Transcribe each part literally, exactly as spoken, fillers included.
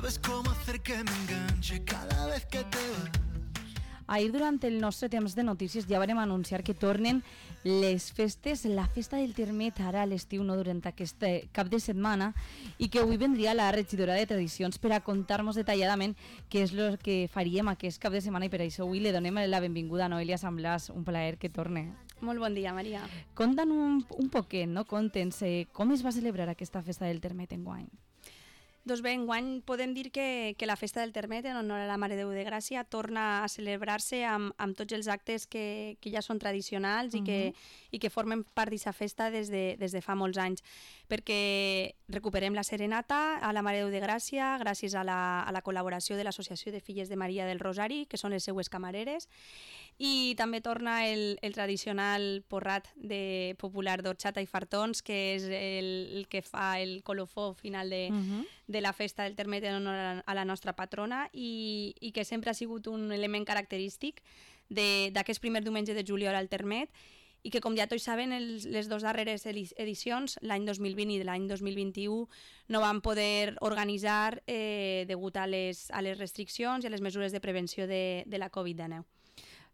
sabes cómo hacer que me enganche cada vez que te vas. Ahir, durant el nostre temps de notícies, ja vam anunciar que tornen les festes, la festa del Termet, ara a l'estiu, no durant aquest cap de setmana, i que avui vendria la regidora de Tradicions per a contar-nos detalladament què és el que faríem aquest cap de setmana, i per això avui li donem la benvinguda a Noelia Sant Blas, un plaer que torne. Molt bon dia, Maria. Conta'n un, un poquet, no? Conta'ns eh, com es va celebrar aquesta festa del Termet enguany. Doncs bé, enguany podem dir que, que la festa del Termet, en honor a la Mare de Déu de Gràcia, torna a celebrar-se amb, amb tots els actes que, que ja són tradicionals, uh-huh. i, que, i que formen part d'aquesta festa des de, des de fa molts anys, perquè recuperem la serenata a la Mare de Déu de Gràcia gràcies a la, a la col·laboració de l'Associació de Filles de Maria del Rosari, que són les seues camareres, i també torna el, el tradicional porrat de popular d'orxata i fartons, que és el, el que fa el colofó final de, uh-huh. de la festa del Termet en honor a la nostra patrona, i, i que sempre ha sigut un element característic d'aquest primer diumenge de juliol al Termet, i que, com ja tots saben, els, les dues darreres edicions, l'any dos mil vint i l'any dos mil vint-i-u, no van poder organitzar eh, degut a les, a les restriccions i a les mesures de prevenció de, de la covid dinou.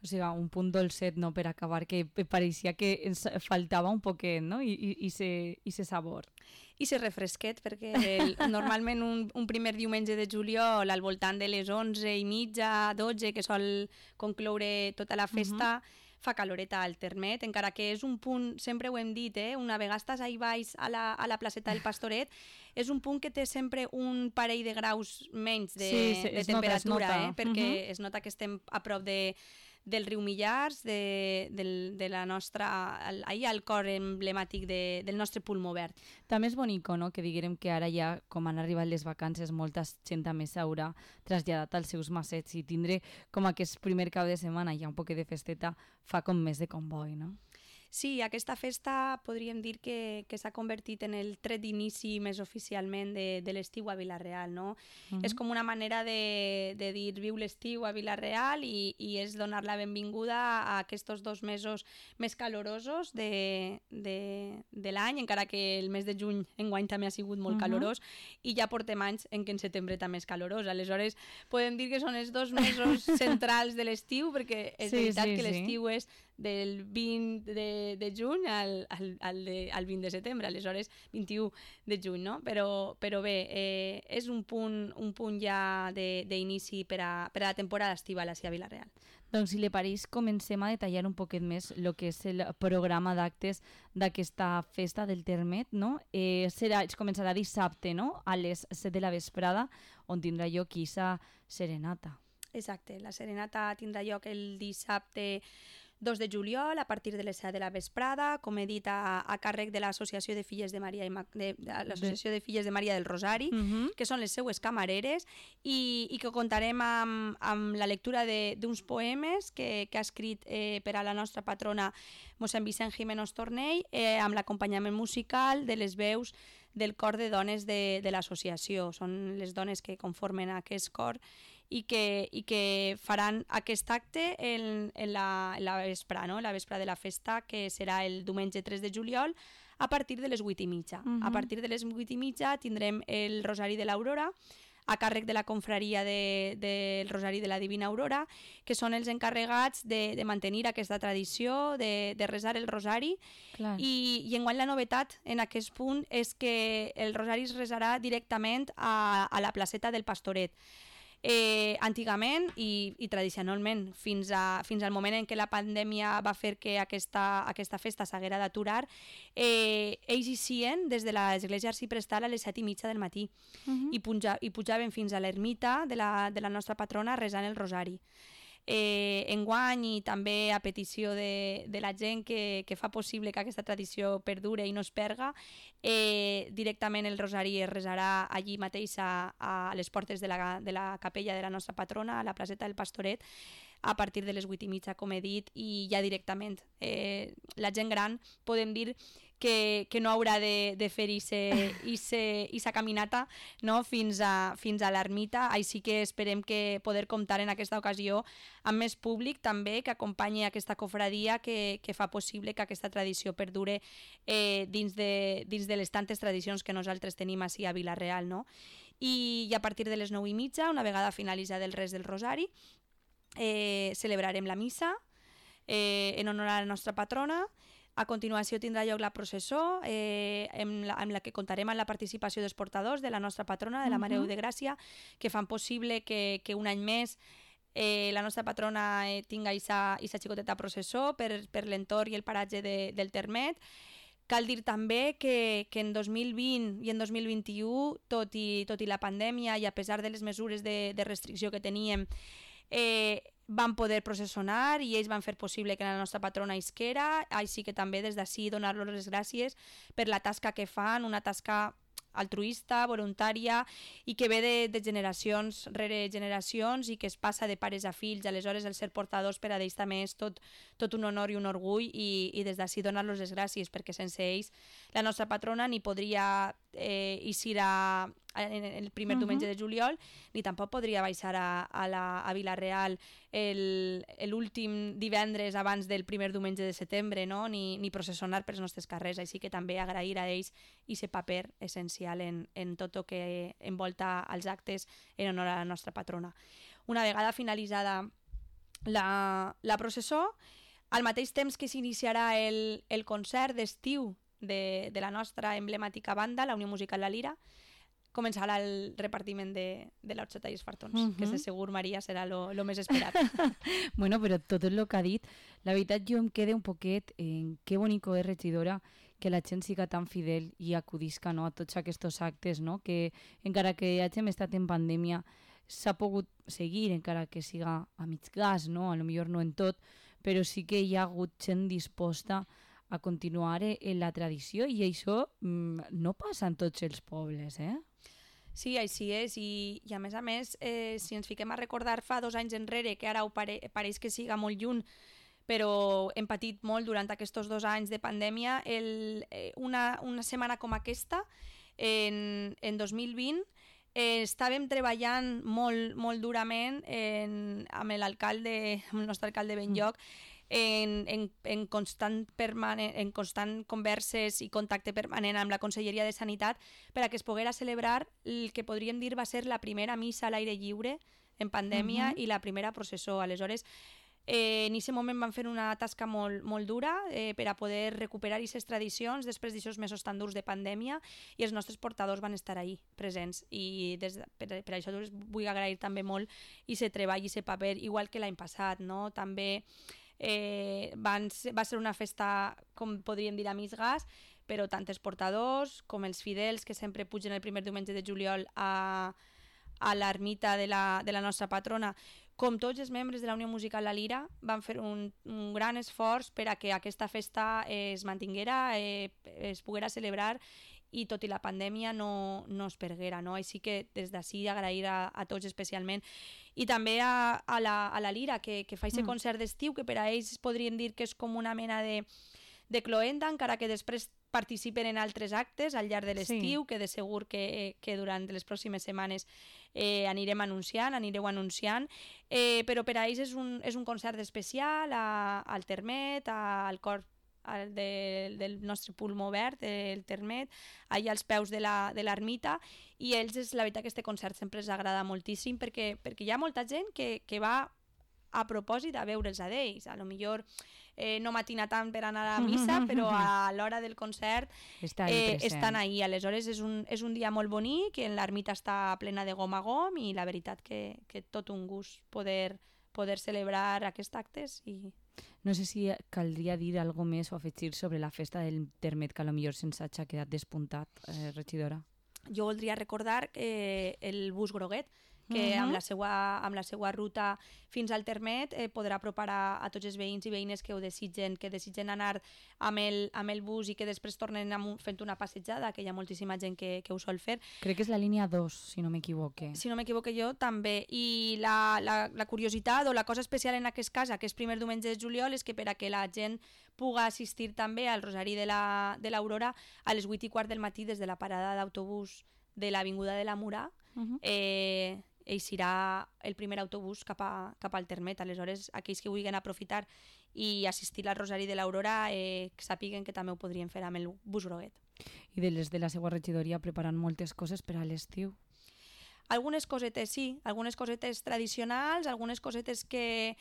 O sigui, un punt dolcet, no?, per acabar, que pareixia que ens faltava un poquet, no?, i, i, i, se, i se sabor. I se refresquet, perquè el, normalment un, un primer diumenge de juliol, al voltant de les onze i mitja, dotze, que sol concloure tota la festa, uh-huh. fa caloreta al Termet, encara que és un punt, sempre ho hem dit, eh? Una vegada estàs ahí baix a la, a la placeta del Pastoret, és un punt que té sempre un parell de graus menys de, sí, sí, de temperatura, nota, eh? Perquè uh-huh. es nota que estem a prop de del riu Millars, de, de, de la nostra, ahir al cor emblemàtic de, del nostre pulmó verd. També és bonico, no?, que diguem que ara ja, com han arribat les vacances, molta gent també s'haurà traslladat als seus massets, i tindre com aquest primer cap de setmana ja un poquet de festeta fa com més de comboi, no? Sí, aquesta festa podríem dir que, que s'ha convertit en el tret d'inici més oficialment de, de l'estiu a Vila-real, no? Uh-huh. És com una manera de, de dir viu l'estiu a Vila-real, i, i és donar la benvinguda a aquests dos mesos més calorosos de, de, de l'any, encara que el mes de juny enguany també ha sigut molt uh-huh. calorós, i ja portem anys en què en setembre també és calorós. Aleshores podem dir que són els dos mesos centrals de l'estiu, perquè és sí, veritat sí, que l'estiu sí. és del vint de, de juny al, al, al, de, al vint de setembre, aleshores vint-i-u de juny, no? Però, però bé, eh, és un punt, un punt ja d'inici per, a, per a la temporada estival a Vila-real. Doncs si li pareix, comencem a detallar un poquet més el que és el programa d'actes d'aquesta festa del Termet, no? Eh, serà, començarà dissabte, no?, a les set de la vesprada, on tindrà lloc aquesta serenata. Exacte, la serenata tindrà lloc el dissabte dos de juliol a partir de les set de la vesprada, com he dit, a, a càrrec de l'Associació de Filles de Maria, i de, de, l'Associació de Filles de Maria del Rosari, uh-huh. que són les seues camareres, i, i que contarem amb, amb la lectura d'uns poemes que, que ha escrit eh, per a la nostra patrona mossèn Vicent Jiménez Tornell, eh, amb l'acompanyament musical de les veus del cor de dones de, de l'associació. Són les dones que conformen aquest cor i que, i que faran aquest acte en, en, la, en la vespre, no? La vespre de la festa, que serà el diumenge tres de juliol, a partir de les vuit i mitja. Uh-huh. A partir de les vuit i mitja tindrem el Rosari de l'Aurora, a càrrec de la confraria del de, de Rosari de la Divina Aurora, que són els encarregats de, de mantenir aquesta tradició, de, de resar el Rosari. Clar. I, i enguany la novetat en aquest punt és que el Rosari es resarà directament a, a la placeta del Pastoret. Eh, antigament i, i tradicionalment, fins, a, fins al moment en què la pandèmia va fer que aquesta, aquesta festa s'haguera d'aturar, eh, ells hi sien des de l'església arciprestal a les set i mitja del matí, uh-huh. i, puja, i pujaven fins a l'ermita de la, de la nostra patrona resant el Rosari. Eh, enguany, i també a petició de, de la gent que, que fa possible que aquesta tradició perdure i no es perga, eh, directament el Rosari es resarà allí mateix a, a les portes de la, de la capella de la nostra patrona, a la placeta del Pastoret, a partir de les vuit i mitja, com he dit, i ja directament eh, la gent gran podem dir que, que no haurà de, de fer aquesta caminata, no? fins a, fins a l'ermita. Així que esperem que poder comptar en aquesta ocasió amb més públic també que acompanyi aquesta cofradia que, que fa possible que aquesta tradició perdure eh, dins, de, dins de les tantes tradicions que nosaltres tenim així a Vila-real, no? i, i a partir de les nou i mitja, una vegada finalitzat el res del rosari, eh, celebrarem la missa eh, en honor a la nostra patrona. A continuació tindrà lloc la processó, eh, amb, la, amb la que contarem amb la participació dels portadors de la nostra patrona, de la Mare de Déu de Gràcia, que fan possible que, que un any més eh, la nostra patrona eh, tinga aquesta xicoteta processó per, per l'entorn i el paratge de, del Termet. Cal dir també que, que en dos mil vint i en dos mil vint-i-u, tot i, tot i la pandèmia i a pesar de les mesures de, de restricció que teníem, eh, van poder processionar i ells van fer possible que la nostra patrona isquera, així que també des d'ací donar-los les gràcies per la tasca que fan, una tasca altruista, voluntària i que ve de, de generacions rere generacions i que es passa de pares a fills. Aleshores, el ser portadors per a ells també és tot, tot un honor i un orgull i, i des d'ací donar-los les gràcies perquè sense ells la nostra patrona ni podria eh, eixir a, en el primer uh -huh. diumenge de juliol ni tampoc podria baixar a, a, la, a Vila-real l'últim divendres abans del primer diumenge de setembre, no? ni, ni processionar pels nostres carrers, així que també agrair a ells aquest paper essencial en, en tot el que envolta els actes en honor a la nostra patrona. Una vegada finalitzada la, la processó, al mateix temps que s'iniciarà el, el concert d'estiu de, de la nostra emblemàtica banda, la Unió Musical La Lira, començarà el repartiment de, de l'orxata i els fartons, uh -huh. que de segur, Maria, serà lo més esperat. Bueno, però tot el que ha dit, la veritat jo em quedé un poquet en què bonico és, regidora, que la gent siga tan fidel i acudisca, no, a tots aquests actes, no? Que encara que hàgim estat en pandèmia s'ha pogut seguir, encara que siga a mig gas, no? A lo millor no en tot, però sí que hi ha hagut gent disposta a continuar en la tradició i això mm, no passa en tots els pobles, eh? Sí, així és, i, i a més a més, eh, si ens fiquem a recordar fa dos anys enrere, que ara ho pare, pareix que siga molt lluny, però hem patit molt durant aquests dos anys de pandèmia, el, eh, una, una setmana com aquesta, en, en dos mil vint, eh, estàvem treballant molt, molt durament en, amb l'alcalde, amb el nostre alcalde Benlloc, En, en, en, constant permanent, en constant converses i contacte permanent amb la Conselleria de Sanitat per a que es poguera celebrar el que podríem dir va ser la primera missa a l'aire lliure en pandèmia uh -huh. i la primera processó. Aleshores, eh, en aquest moment van fer una tasca molt, molt dura eh, per a poder recuperar aquestes tradicions després d'aquests mesos tan durs de pandèmia i els nostres portadors van estar ahí presents i des de, per, per això vull agrair també molt aquest treball i aquest paper, igual que l'any passat, no? També Eh, van ser, va ser una festa, com podríem dir, a mig gas, però tant els portadors com els fidels que sempre pugen el primer diumenge de juliol a, a l'ermita de la, de la nostra patrona, com tots els membres de la Unió Musical La Lira, van fer un, un gran esforç per a que aquesta festa eh, es mantinguera, eh, es poguera celebrar i tot i la pandèmia no, no es perguera, no? Així que des d'ací agrair a, a tots especialment. I també a, a, la, a la Lira, que, que fa aquest mm. concert d'estiu, que per a ells podrien dir que és com una mena de, de cloenda, encara que després participen en altres actes al llarg de l'estiu, sí. que de segur que, que durant les pròximes setmanes eh, anirem anunciant, anireu anunciant, eh, però per a ells és un, és un concert especial a, al Termet, a, al cor el de, del nostre pulmó verd, el Termet, allà als peus de l'ermita, i ells, és la veritat que aquest concert sempre els agrada moltíssim perquè, perquè hi ha molta gent que, que va a propòsit a veure'ls a ells. A lo millor eh, no matina tant per anar a missa, però a l'hora del concert eh, estan ahí. Aleshores és un, és un dia molt bonic, en l'ermita està plena de gom a gom i la veritat que, que tot un gust poder, poder celebrar aquests actes i... No sé si caldria dir alguna més o afegir sobre la festa del Termet, que potser se'ns ha quedat despuntat, eh, regidora. Jo voldria recordar eh, el bus groguet, que uh -huh. amb, la seva, amb la seva ruta fins al Termet eh, podrà apropar a, a tots els veïns i veïnes que ho desitgen, que desitgen anar amb el, amb el bus i que després tornen amb, fent una passejada, que hi ha moltíssima gent que, que ho sol fer. Crec que és la línia dos, si no m'equivoque. Si no m'equivoque jo, també. I la, la, la curiositat o la cosa especial en aquest cas, que és primer diumenge de juliol, és que per a que la gent puga assistir també al Rosari de l'Aurora la, a les vuit i quart del matí des de la parada d'autobús de l'Avinguda de la Murà, uh -huh. eh, eixirà el primer autobús cap, a, cap al Termet. Aleshores, aquells que vulguin aprofitar i assistir al Rosari de l'Aurora eh, sàpiguen que també ho podrien fer amb el bus groguet. I de les de la seva regidoria preparant moltes coses per a l'estiu? algunes cosetes sí, algunes cosetes tradicionals, algunes cosetes que,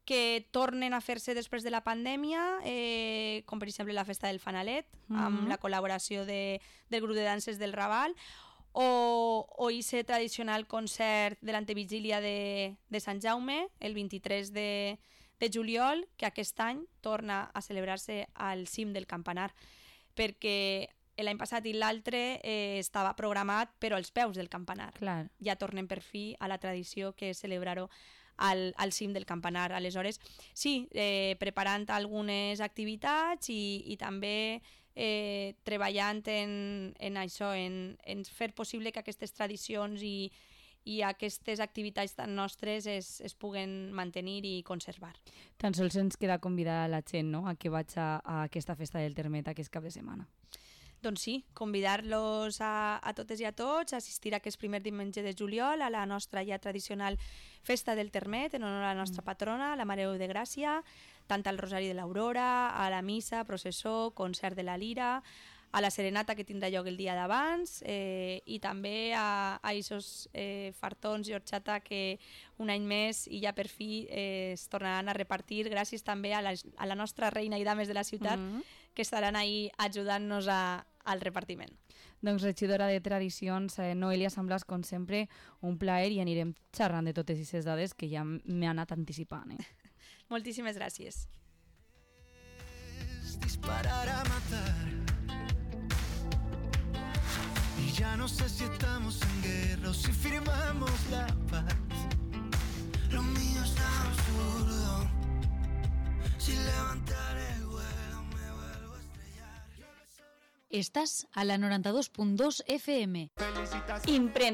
que tornen a fer-se després de la pandèmia, eh, com per exemple la festa del Fanalet, mm-hmm. amb la col·laboració de, del grup de danses del Raval, o, o ese tradicional concert de l'antevigília de, de Sant Jaume, el vint-i-tres de, de juliol, que aquest any torna a celebrar-se al cim del Campanar, perquè l'any passat i l'altre eh, estava programat però als peus del campanar. Clar. Ja tornem per fi a la tradició que és celebrar-ho al, al cim del campanar. Aleshores, sí, eh, preparant algunes activitats i, i també eh, treballant en, en això, en, en fer possible que aquestes tradicions i, i aquestes activitats tan nostres es, es puguen mantenir i conservar. Tan sols ens queda convidar a la gent, no?, a que vaig a, a aquesta festa del Termet aquest cap de setmana. Doncs sí, convidar-los a, a totes i a tots a assistir a aquest primer diumenge de juliol a la nostra ja tradicional festa del Termet en honor a la nostra patrona, la Mare de Gràcia, tant al Rosari de l'Aurora, a la missa, processó, concert de la Lira, a la serenata que tindrà lloc el dia d'abans eh, i també a aquests eh, fartons i horxata que un any més i ja per fi eh, es tornaran a repartir gràcies també a la, a la nostra reina i dames de la ciutat mm-hmm. que estaran ahí ajudant-nos a, al repartiment. Doncs regidora de Tradicions, eh, Noelia Samblas, com sempre, un plaer i anirem xerrant de totes aquestes dades que ja m'he anat anticipant. Eh? Moltíssimes gràcies. Disparar a matar. Y ya no sé si estamos en guerra o si firmamos la paz. Lo mío es absurdo. Si levantar el vuelo me vuelvo a estrellar. Estás a la noranta dos punt dos F M. Imprenta